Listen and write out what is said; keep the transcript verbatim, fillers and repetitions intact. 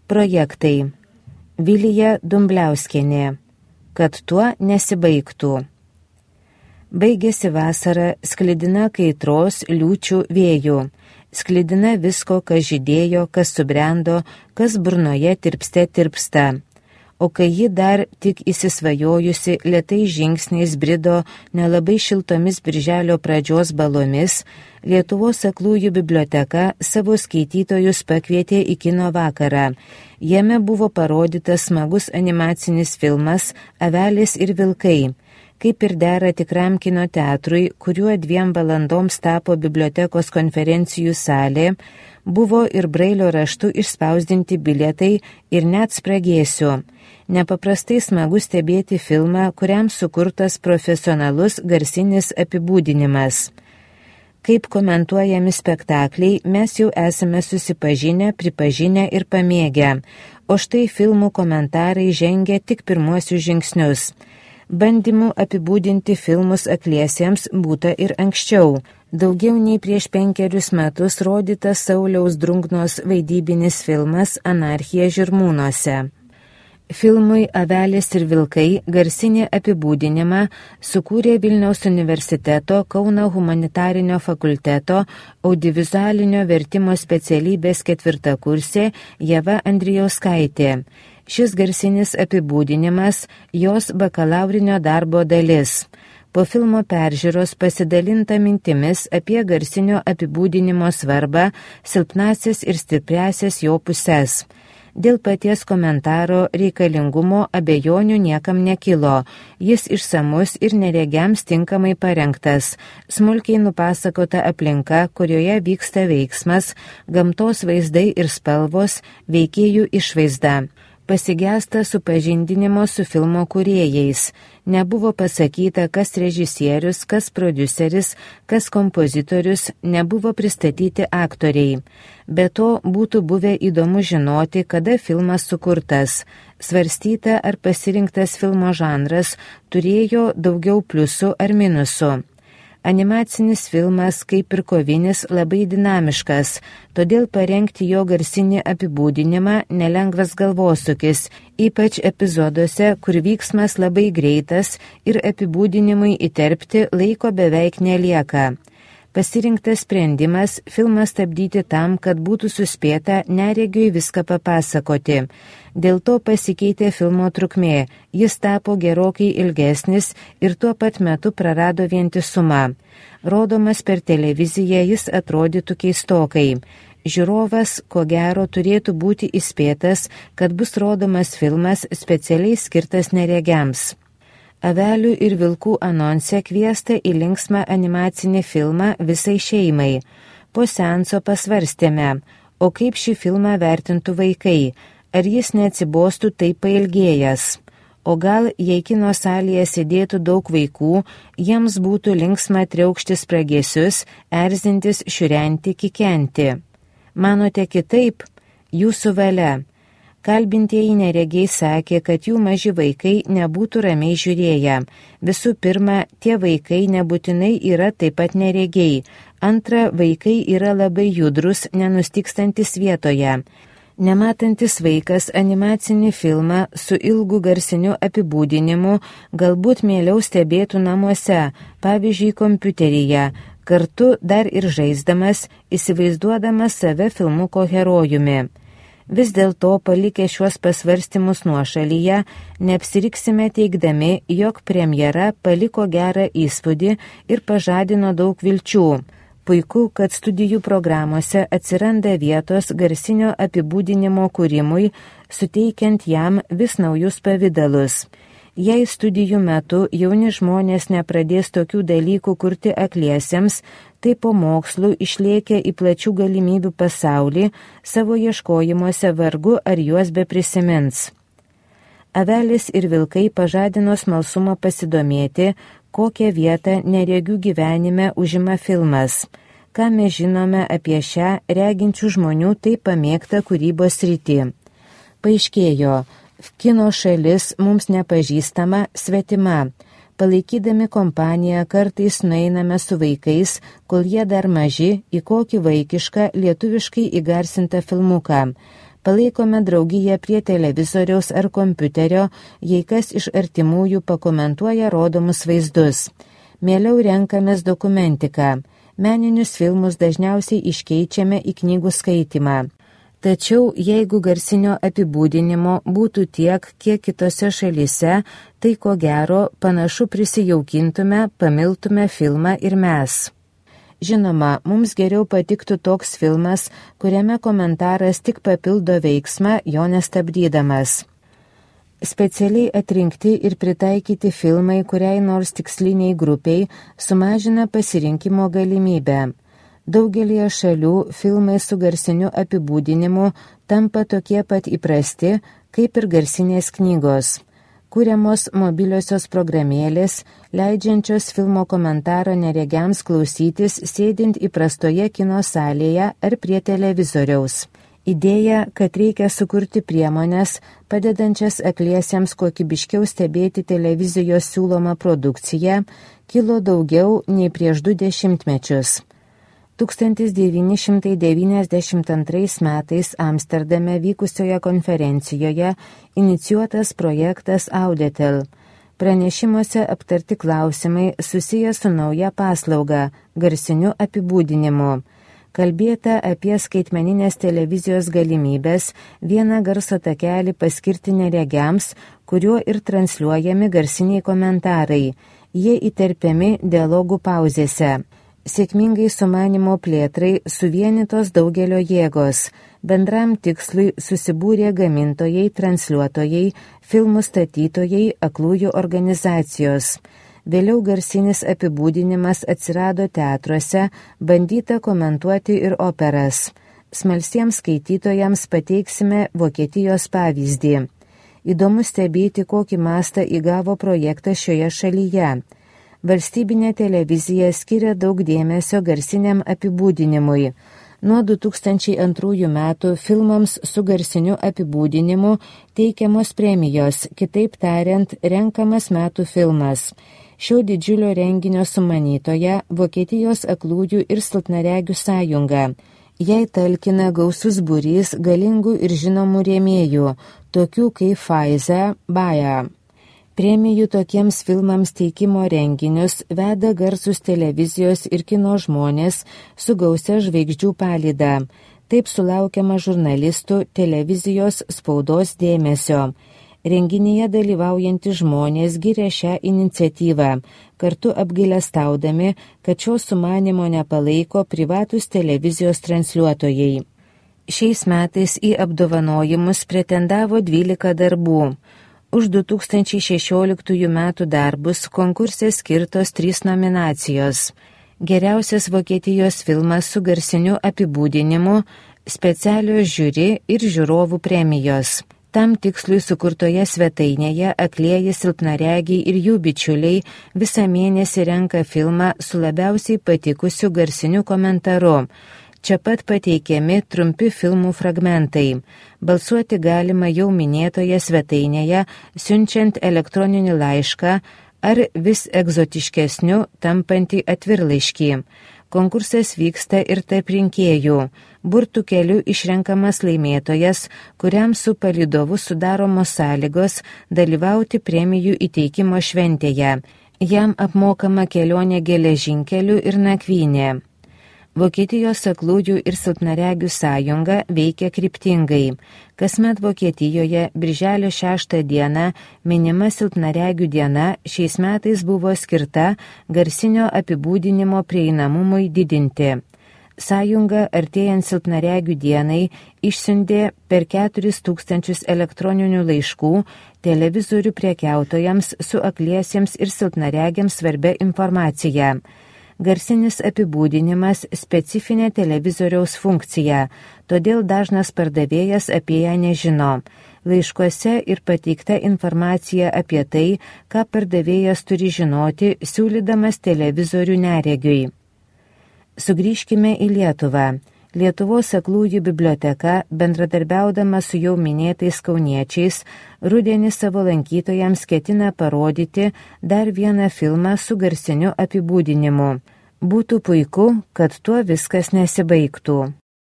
Projektai. Vilija Dumbliauskienė. Kad tuo nesibaigtų. Baigėsi vasara, sklidina kaitros, liūčių, vėjų. Sklidina visko, kas žydėjo, kas subrendo, kas burnoje tirpste tirpsta. O kai ji dar tik įsisvajojusi lėtai žingsniais brido nelabai šiltomis birželio pradžios balomis, Lietuvos aklųjų biblioteka savo skaitytojus pakvietė į kino vakarą. Jame buvo parodytas smagus animacinis filmas Avelės ir vilkai. Kaip ir dera tikram kino teatrui, kuriuo dviem valandoms tapo bibliotekos konferencijų salė, buvo ir brailio raštu išspausdinti bilietai ir net spragėsiu. Nepaprastai smagu stebėti filmą, kuriam sukurtas profesionalus garsinis apibūdinimas. Kaip komentuojami spektakliai, mes jau esame susipažinę, pripažinę ir pamėgę, o štai filmų komentarai žengia tik pirmuosius žingsnius. Bandymų apibūdinti filmus akliesiems būta ir anksčiau. Daugiau nei prieš penkerius metus rodytas Sauliaus Drungnos vaidybinis filmas Anarchija Žirmūnuose. Filmui Avelės ir vilkai garsinį apibūdinimą sukūrė Vilniaus universiteto Kauno humanitarinio fakulteto audiovizualinio vertimo specialybės ketvirtakursė Ieva Andrijauskaitė. Šis garsinis apibūdinimas jos bakalaurinio darbo dalis. Po filmo peržiūros pasidalinta mintimis apie garsinio apibūdinimo svarbą, silpnasias ir stipriasias jo puses. Dėl paties komentaro reikalingumo abejonių niekam nekilo. Jis išsamus ir neregiams tinkamai parengtas. Smulkiai nupasakota aplinka, kurioje vyksta veiksmas, gamtos vaizdai ir spalvos, veikėjų išvaizda. Pasigesta supažindinimo su filmo kūrėjais. Nebuvo pasakyta, kas režisierius, kas prodiuseris, kas kompozitorius, nebuvo pristatyti aktoriai. Be to būtų buvę įdomu žinoti, kada filmas sukurtas. Svarstyta, ar pasirinktas filmo žanras turėjo daugiau pliusų ar minusų. Animacinis filmas, kaip ir kovinis, labai dinamiškas, todėl parengti jo garsinį apibūdinimą nelengvas galvosūkis, ypač epizoduose, kur vyksmas labai greitas ir apibūdinimui įterpti laiko beveik nelieka. Pasirinktas sprendimas filmą stabdyti tam, kad būtų suspėta neregiui viską papasakoti. Dėl to pasikeitė filmo trukmė, jis tapo gerokai ilgesnis ir tuo pat metu prarado vientisumą. Rodomas per televiziją jis atrodytų keistokai. Žiūrovas, ko gero, turėtų būti įspėtas, kad bus rodomas filmas specialiai skirtas neregiams. Avelių ir vilkų anonse kviesta į linksmą animacinį filmą visai šeimai. Po seanso pasvarstėme, o kaip šį filmą vertintų vaikai, ar jis neatsibostų taip pailgėjęs. O gal, jei kino salėje sėdėtų daug vaikų, jiems būtų linksma triaukšti spragėsius, erzintis, šiurenti, kikenti. Manote kitaip? Jūsų valia. Kalbintieji neregiai sakė, kad jų maži vaikai nebūtų ramiai žiūrėję. Visų pirma, tie vaikai nebūtinai yra taip pat neregiai. Antra, vaikai yra labai judrus, nenustikstantis vietoje. Nematantis vaikas animacinį filmą su ilgu garsiniu apibūdinimu galbūt mieliau stebėtų namuose, pavyzdžiui, kompiuteryje, kartu dar ir žaisdamas, įsivaizduodamas save filmuko herojumi. Vis dėlto, palikę šiuos pasvarstymus nuošalyje, neapsiriksime teigdami, jog premjera paliko gerą įspūdį ir pažadino daug vilčių. Puiku, kad studijų programuose atsiranda vietos garsinio apibūdinimo kūrimui, suteikiant jam vis naujus pavidalus. Jei studijų metu jauni žmonės nepradės tokių dalykų kurti akliesiems, tai po mokslų išlėkę į plačių galimybių pasaulį, savo ieškojimuose vargu ar juos beprisimins. Avelės ir vilkai pažadino smalsumą pasidomėti, kokią vietą neregių gyvenime užima filmas. Ką mes žinome apie šią reginčių žmonių taip pamėgtą kūrybos sritį. Paaiškėjo, kino šalis mums nepažįstama, svetima. Palaikydami kompaniją kartais nueiname su vaikais, kol jie dar maži, į kokį vaikišką lietuviškai įgarsintą filmuką. Palaikome draugiją prie televizoriaus ar kompiuterio, jei kas iš artimųjų pakomentuoja rodomus vaizdus. Mieliau renkamės dokumentiką. Meninius filmus dažniausiai iškeičiame į knygų skaitymą. Tačiau jeigu garsinio apibūdinimo būtų tiek, kiek kitose šalyse, tai ko gero panašu prisijaukintume, pamiltume filmą ir mes. Žinoma, mums geriau patiktų toks filmas, kuriame komentaras tik papildo veiksmą, jo nestabdydamas. Specialiai atrinkti ir pritaikyti filmai kuriai nors tiksliniai grupiai sumažina pasirinkimo galimybę. Daugelie šalių filmai su garsiniu apibūdinimu tampa tokie pat įprasti, kaip ir garsinės knygos. Kuriamos mobiliosios programėlės, leidžiančios filmo komentaro neregiams klausytis sėdint įprastoje kino salėje ar prie televizoriaus. Idėja, kad reikia sukurti priemones, padedančias akliesiems kokybiškiau stebėti televizijos siūlomą produkciją, kilo daugiau nei prieš du dešimtmečius. tūkstantis devyni šimtai devyniasdešimt antrais metais Amsterdame vykusioje konferencijoje inicijuotas projektas Auditel. Pranešimuose aptarti klausimai susiję su nauja paslauga – garsiniu apibūdinimu. Kalbėta apie skaitmeninės televizijos galimybės vieną garso takelį paskirti neregiams, kuriuo ir transliuojami garsiniai komentarai. Jie įterpiami dialogų pauzėse. Sėkmingai sumanimo plėtrai suvienytos daugelio jėgos. Bendram tikslui susibūrė gamintojai, transliuotojai, filmų statytojai, aklųjų organizacijos. Vėliau garsinis apibūdinimas atsirado teatruose, bandyta komentuoti ir operas. Smalsiems skaitytojams pateiksime Vokietijos pavyzdį. Įdomu stebėti, kokį mastą įgavo projektas šioje šalyje. Valstybinė televizija skiria daug dėmesio garsiniam apibūdinimui. Nuo du tūkstančiai antrųjų metų filmams su garsiniu apibūdinimu teikiamos premijos, kitaip tariant, renkamas metų filmas. Šio didžiulio renginio sumanytoja Vokietijos aklųjų ir silpnaregių sąjunga. Jai talkina gausus būrys galingų ir žinomų rėmėjų, tokių kaip Pfizer, Bayer. Premijų tokiems filmams teikimo renginius veda garsus televizijos ir kino žmonės su gausia žvaigždžių palyda. Taip sulaukiama žurnalistų, televizijos, spaudos dėmesio. Renginyje dalyvaujantys žmonės giria šią iniciatyvą, kartu apgailestaudami, kad šio sumanimo nepalaiko privatūs televizijos transliuotojai. Šiais metais į apdovanojimus pretendavo dvylika darbų. Už du tūkstančiai šešioliktųjų metų darbus konkurse skirtos trys nominacijos. Geriausias Vokietijos filmas su garsiniu apibūdinimu, specialios žiuri ir žiūrovų premijos. Tam tikslui sukurtoje svetainėje aklieji silpnaregiai ir jų bičiuliai visą mėnesį renka filmą su labiausiai patikusiu garsiniu komentaru. Čia pat pateikiami trumpi filmų fragmentai. Balsuoti galima jau minėtoje svetainėje, siunčiant elektroninį laišką ar vis egzotiškesniu tampantį atvirlaiškį. Konkursas vyksta ir tarp rinkėjų. Burtų keliu išrenkamas laimėtojas, kuriam su palydovu sudaromos sąlygos dalyvauti premijų įteikimo šventėje. Jam apmokama kelionė geležinkeliu ir nakvynė. Vokietijos aklųjų ir silpnaregių sąjunga veikia kryptingai. Kasmet Vokietijoje birželio šeštą dieną minima silpnaregių diena šiais metais buvo skirta garsinio apibūdinimo prieinamumui didinti. Sąjunga artėjant silpnaregių dienai išsiuntė per keturis tūkstančius elektroninių laiškų televizorių prekiautojams su akliesiems ir silpnaregiams svarbia informacija. Garsinis apibūdinimas specifinė televizoriaus funkcija, todėl dažnas pardavėjas apie ją nežino. Laiškuose ir pateikta informacija apie tai, ką pardavėjas turi žinoti, siūlydamas televizorių neregiui. Sugrįžkime į Lietuvą. Lietuvos aklųjų biblioteka, bendradarbiaudama su jau minėtais kauniečiais, rudenį savo lankytojams ketina parodyti dar vieną filmą su garsiniu apibūdinimu. Būtų puiku, kad tuo viskas nesibaigtų.